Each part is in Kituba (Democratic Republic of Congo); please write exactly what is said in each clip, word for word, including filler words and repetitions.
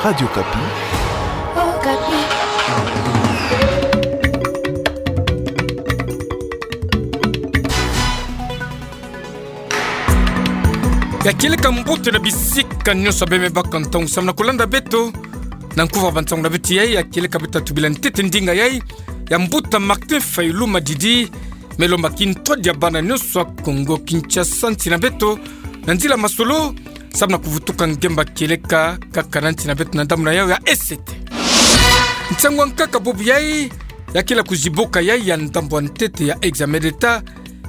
Radio Okapi. Okapi. Ya kieleka mbote na bisika nyonso beme baka ntangu samu na kulanda beto. Na nkuva bantangu na beto yai, ya kieleka beto tubila ntete ndinga yai ya mbuta Martin Fayulu Madidi, me lomba kintwadi ya bana nyonso ya Kongo Kinshasa nsi na beto, na nzila masolo, samu na kuvutuka ngemba kieleka kaka na nsi na beto na ndambu na yau ya E C T. Nsangu ya nkaka bubu yai, ya kele kuzibuka yai ya ndambu ya ntete ya examen d'État,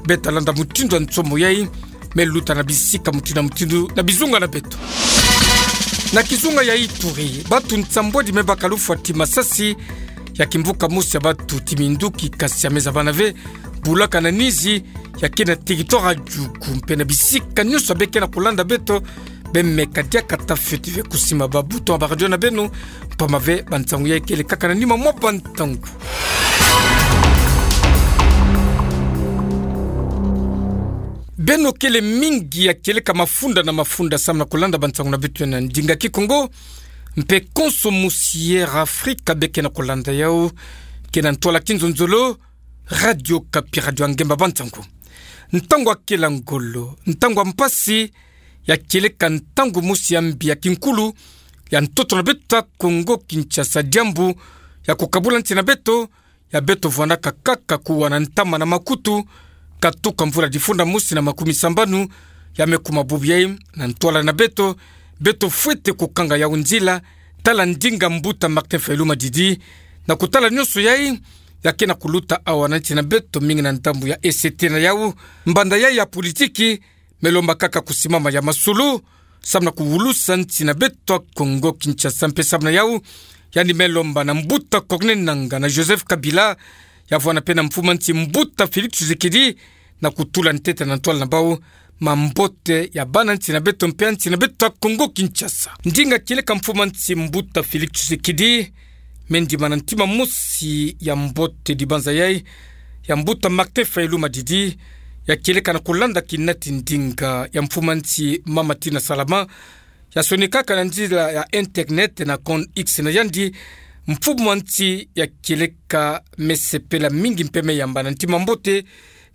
beta landa mutindu ya nsomo yai, me luta na bisika mutindu na mutindu na bizunga na beto. Na kizunga ya Ituri, bantu nsambwadi me baka lufwa ti masasi ya kimvuka mosi ya bantu ti minduki, kasi ya meza bana ve bulaka na nizi, ya ke na territoire ya Djugu, mpe na bisika nyonso beke na kulanda beto, bemeka diaka ta fioti ve kusimba ba bouton ya ba radio na beno, mpamba ve bansangu yai kele kaka na nima mwa bantangu. Beno kele mingi ya kieleka mafunda na mafunda samu na kulanda bansangu na beto na ndinga Kikongo, mpe konso mosi ya Afrika beke na kulanda yau, ke na ntwala kinzonzolo, Radio Okapi, radio ya ngemba bansangu. Ntangu ya kela ngolo, ntangu ya mpasi, ya kieleka ntangu mosi ya mbi ya kinkulu ya ntoto na beto ya Kongo Kinshasa, diambu ya kukabula nsi na beto, ya beto vwandaka kaka kuwa na ntama na makutu, katuka mvula difunda mosi na makumi sambanu, ya me kuma bubu yai na ntwala na beto, beto fwete kukanga yau nzila, tala ndinga mbuta Martin Fayulu Madidi, na kutala nyonso yai, ya ke na kuluta awa na nsi na beto mingi na ndambu ya E C T na yau, mbanda yai ya politiki, me lomba kaka kusimama ya masolo, samu na kuwulusa nsi na beto ya Kongo Kinshasa mpe samu na yau, yandi me lomba na mbuta Corneille Nangaa na Joseph Kabila, ya vwanda mpe na mfumu a nsi mbuta Félix Tshisekedi, na kutula ntete na ntwala na bau mambote ya bana nsi na beto mpe ya nsi na beto ya Kongo Kinshasa. Ndinga kieleka mfumu a nsi mbuta Félix Tshisekedi, me ndima na ntima mosi ya mbote dibanza yai ya mbuta Martin Fayulu Madidi, ya kieleka na kulanda kinati ndinga ya mfumu a nsi mama Tina Salama, ya sonikaka na nzila ya internet na compte X na yandi, mfumu a nsi ya kieleka me sepela mingi mpe me yamba na ntima mbote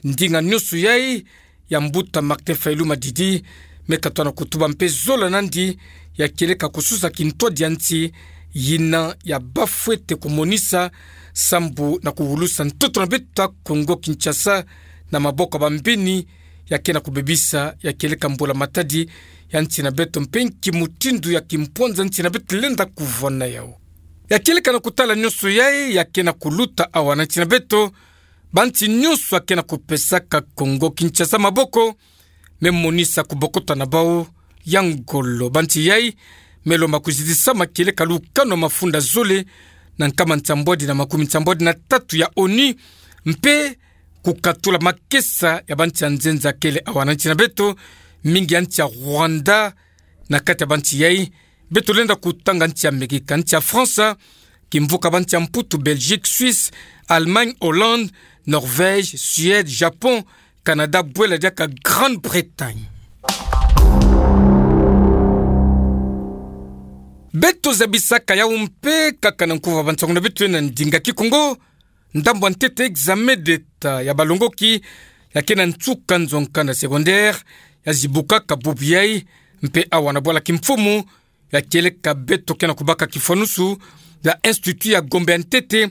ndinga nyonso yai ya mbuta Martin Fayulu Madidi, me katwa na kutuba mpe zola nandi ya kieleka kususa kintwadi ya nsi, yina ya bafwete kumonisa sambu na kuwulusa ntoto na beto ya Kongo Kinshasa na maboko ya bambeni, ya ke na kubebisa ya kieleka mbula matadi ya nsi na beto mpe nki mutindu ya kimpwanza nsi na beto lenda kuvwanda yau. Ya kieleka na kutala nyonso yai ya ke na kuluta awa na nsi na beto, bansi nyonso ya ke na kupesaka Kongo Kinshasa maboko, me monisa kubokota na bau ya ngolo. Bansi yai me lomba kuzidisama kieleka lukanu ya mafunda zole na nkama nsambwadi na makumi nsambwadi na tatu ya ONU, mpe kukatula makesa ya bansi ya nzenza kele awa na nsi na beto, mingi ya nsi ya Rwanda. Na kati ya bansi yai, beto lenda kutanga nsi ya Amerika, nsi ya France, kimvuka bansi ya Mputu, Belgique, Suisse, Allemagne, Hollande, Norvège, Suède, Japon, Canada, bwela diaka Grande-Bretagne. Beto zabisaka yau mpe kaka na nkuva bansangu na beto na ndinga Kikongo, ndambu ya ntete examen d'État ya balongoki ya ke na nsuka nzo nkanda secondaire, ya zibukaka bubu yai, mpe awa na bwala kimfumu, ya kieleka beto ke na kubaka kifwanusu ya Institut ya Gombe ya ntete,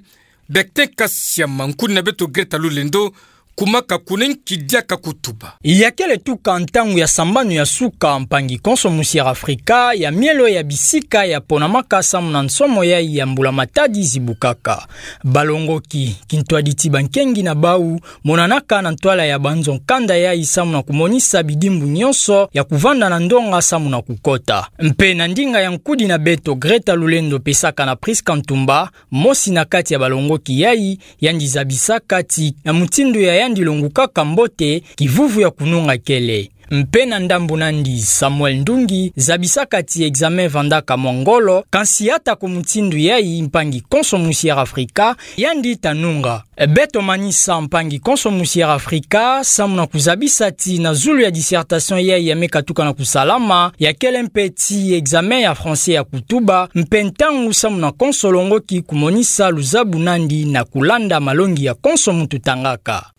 Bertin Kasiama, nkuni na beto Greta Lulendo, kumaka kuna nki diaka kutuba. Ya kele tuka ntangu ya sambanu ya suka mpangi konso mosi ya Afrika ya mielo ya bisika ya ponamaka samu na nsomo yai ya mbula matadi zibukaka. Balongoki, kintwadi ti bankengi na bau, monanaka na ntwala ya banzo nkanda yai samu na kumonisa bidimbu nyonso ya kuvanda na ndonga samu na kukota. Mpe na ndinga ya nkudi na beto Greta Lulendo pesaka na Prisca Ntumba, mosi na kati ya balongoki yai, yandi zabisaka ti na mutindu ya yandi longukaka mbote, kivuvu ya kununga kele. Mpe na ndambu nandi Samuel Ndungi, zabisaka ti examen vandaka mwa ngolo, kansi ata ku mutindu yai mpangi konso musi Air Africa, yandi ta nunga. Beto manisa mpangi konso musi Air Africa, samu na kuzabisa ti na zulu ya dissertation yai ya me katuka na kusalama, ya kele mpe ti examen ya français ya kutuba, mpe ntangu samu na konso longoki kumonisa luzabu nandi na kulanda malongi ya konso muntu tangaka.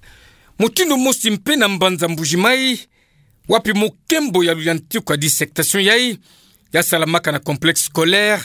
Mutindu mosi mpe na mbanza Mbuji-Mayi, wapi mukembo ya luyantiku ya dissertation yai, ya salamaka na complexe scolaire,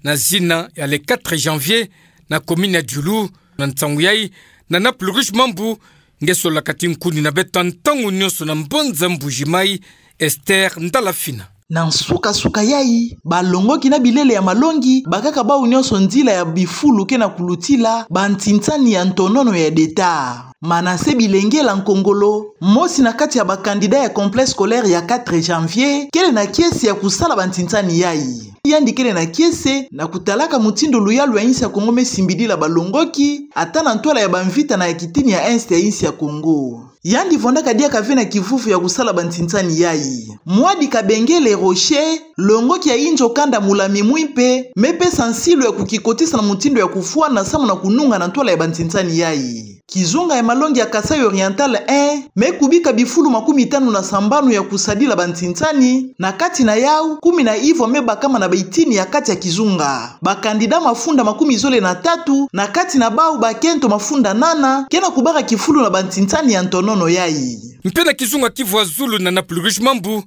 na zina ya le quatre janvier, na commune ya Diulu, na nsangu yai, na Naples Rouge Mambu, nge solaka ti nkuni na beto ntangu nionso na mbanza Mbuji-Mayi, Esther Ndala Fina. Na nsuka-suka yai, balongoki na bilele ya malongi, bakaka bau nionso nzila ya bifulu ke na kulutila, bantinsani ya ntonono ya deta. Manassé Bilengela Nkongolo, mosi na kati ya ba candidat ya complexe scolaire ya quatre janvier, kele na kiese ya kusala bantinsani yai. Yandi kele na kiese, na kutalaka mutindu luyalu ya insi ya Kongo me simbidila balongoki, ata na ntwala ya bamvita na ya kitini ya Est ya insi ya Kongo. Yandi vondaka diaka ve na kivuvu ya kusala bantinsani yai. Mwadi Kabengele Rocher, longoki ya inzo kanda Mulami Mwimpe, me pesa nsilu ya kukikotisa na mutindu ya kufwana samu na kununga na ntwala ya bantinsani yai. Kizunga ya malongi ya Kasaï Oriental un, me kubika bifulu makumi tanu na sambanu ya kusadila bantinsani, na kati na yau, kumi na ivwa me bakama na baitini ya kati ya kizunga. Ba candidat mafunda makumi zole na tatu, na kati na bau bakento mafunda nana, ke na kubaka kifulu na bantinsani ya ntonono yai. Mpe na kizunga kivwa zulu na Naples Rouge Mambu,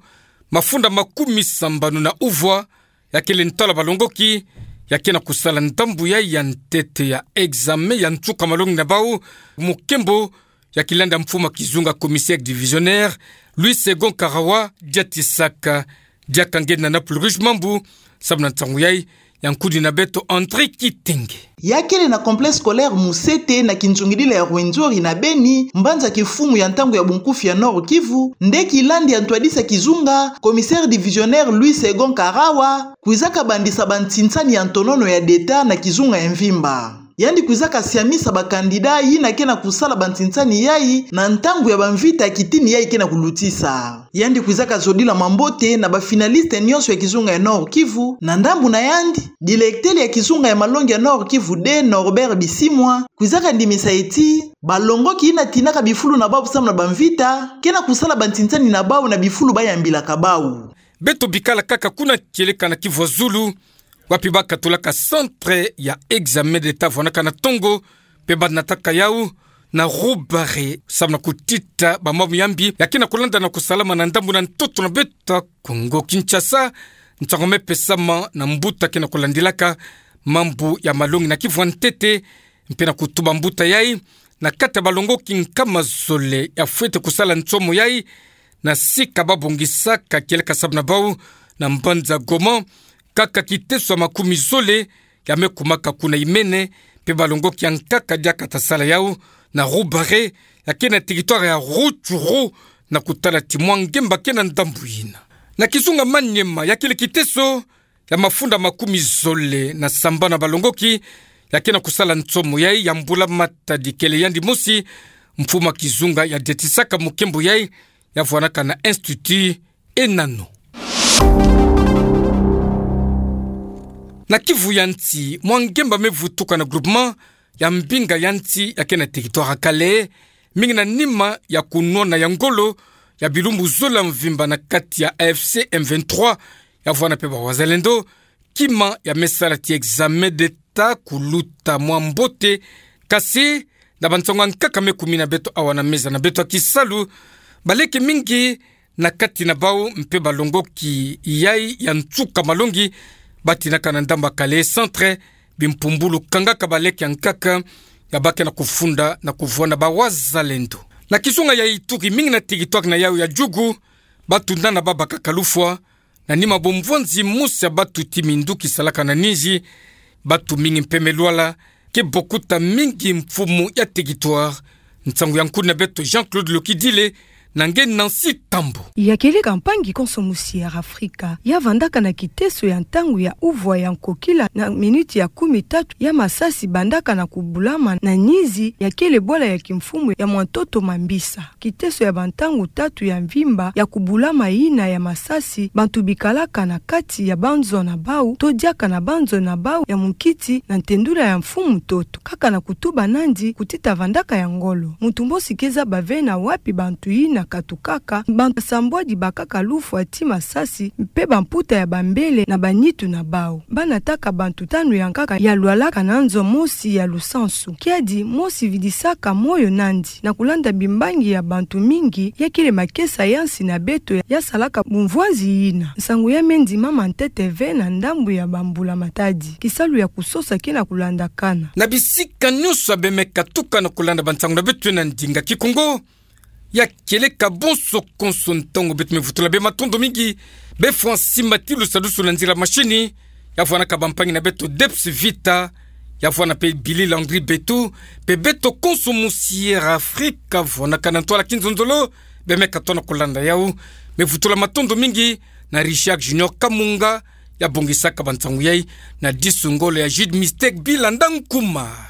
mafunda makumi sambanu na uvwa, ya kele ntwala balongoki, ya ke na kusala ndambu yai ya ntete ya examen ya nsuka malongi na bau, mukembo, ya kilanda mfumu kizunga commissaire divisionnaire, Louis Segond Karawa, diatisaka, diaka nge na Naples Rouge Mambu, samu na nsangu yai, ya nkuni na beto André Kitenge. Ya kele na complexe scolaire Musete na kinzungidila ya Rwenzori na Beni, mbanza kimfumu ya ntangu ya bunkufi ya Nord-Kivu, nde kilandi ya ntwadisi ya kizunga, commissaire divisionnaire Louis Segond Karawa, kwizaka bandisa bantinsani ya ntonono ya deta na kizunga ya mvimba. Yandi kwizaka siamisa ba candidat yina ke na kusala bantinsani yai na ntangu ya bamvita ya kitini yai ke na kulutisa. Yandi kwizaka zodila mambote na ba finaliste nionso ya kizunga ya Nord-Kivu, na ndambu na yandi, directeur ya kizunga ya malongi ya Nord-Kivu deux Norbert Bisimwa, kwizaka ndimisa ti, balongoki yina tinaka bifulu na bau samu na bamvita, ke na kusala bantinsani na bau na bifulu bayambilaka bau. Beto bikala kaka kuna kieleka na kivwa zulu, wapi bakatulaka centre ya examen d'État vwanaka na tongo, mpe banataka yau na Roubaix, samu na kutita bamamu ya mbi ya ke na kulanda na kusalama na ndambu na ntoto na beto Kongo Kinshasa, nsangu me pesama na mbuta ke na kulandilaka mambu ya malongi na kivwa ntete, mpe na kutuba mbuta yai, na kati ya balongoki nkama zole ya fwete kusala nsomo yai, na sika babongisaka kieleka samu na bau, na mbanza Goma, kaka kiteso ya makumi zole, ya me kumaka kuna imene, mpe balongoki ya nkaka diaka ta sala yau, na Roubaix, ya ke na territoire ya Rutshuru, na kutala ti mwa ngemba ke na ndambu yina. Na kizunga Maniema, ya kele kiteso, ya mafunda makumi zole na sambanu ya balongoki, ya ke na kusala nsomo yai ya mbula matadi kele yandi mosi, mfumu kizunga ya detisaka mukembo yai, ya vwanaka na Institut Enano. Na kivu ya nsi, mwa ngemba me vutuka na groupement ya Mbinga ya nsi ya ke na territoire ya Kalehe, mingi na nima ya kunwana ya ngolo ya bilumbu zole ya mvimba na kati ya A F C M vingt-trois, ya vwana mpe ba wazalendo, kima ya me sala ti examen d'État kuluta mwa mbote, kasi na bansangu ya nkaka me kumina beto awa na meza na beto ya kisalu, baleke mingi na kati na bau mpe balongoki yai ya nsuka malongi, batinaka na ndambu ya Kalehe Centre, bimpumbulu kangaka baleke ya nkaka, ya ba ke na kufunda na kuvwanda ba wazalendo. Na kizunga ya Ituri, mingi na territoire na yau ya Djugu, batu nana babakaka lufwa, na nima bomvwanzi mosi ya batu ti minduki salaka na ninzi, batu mingi mpe me lwala, ke bokuta mingi mfumu ya territoire. Nsangu ya nkuni na beto Jean-Claude Lokidile, na nge Nancy Tambu. Ya kieleka mpangi konso musi ya Afrika, ya vandaka na kiteso ya ntangu ya uvwa ya nkokila na miniti ya kumi tatu ya masasi bandaka na kubulama na nizi ya kiele bwala ya kimfumu ya Mwantoto Mambisa. Kiteso ya bantangu tatu ya mvimba ya kubulama yina ya masasi, bantu bikalaka na kati ya banzo na bau, to diaka na banzo na bau ya munkiti na ntendula ya mfumu ntoto. Kaka na kutuba nandi kutita vandaka ya ngolo. Muntu mosi ke zaba ve na wapi bantu yina katukaka, bantu basambwadi bakaka lufwa ti masasi, mpe bamputa ya bambele na banitu na bau. Ba nataka bantu tanu ya nkaka ya lwalaka na nzo mosi ya lusansu. Kiadi mosi vidisaka moyo nandi na kulanda bimbangi ya bantu mingi, ya kiele makesa ya nsi na beto ya salaka bumvwanzi yina. Nsangu ya me ndimama ntete ve na ndambu ya bambula matadi. Kisalu ya kusosa ke na kulandakana. Na bisika nyonso ya bemeka tuka na kulanda bansangu na beto na ndinga Kikongo, ya kieleka bonso konso ntangu beto me vutula be matondo mingi, be Francis Matilu sadusu na nzila mashini, ya vwanaka bampangi na beto Debs Vita, ya vwana mpe Billy Landry Betu, mpe beto konso musi ya Afrika vwanaka na ntwala kinzonzolo, bemeka tona kulanda yau. Me vutula matondo mingi na Richard Junior Kamunga, ya bongisaka bansangu yai, na disu ngolo ya Jude Mistake Bilanda Nkumar.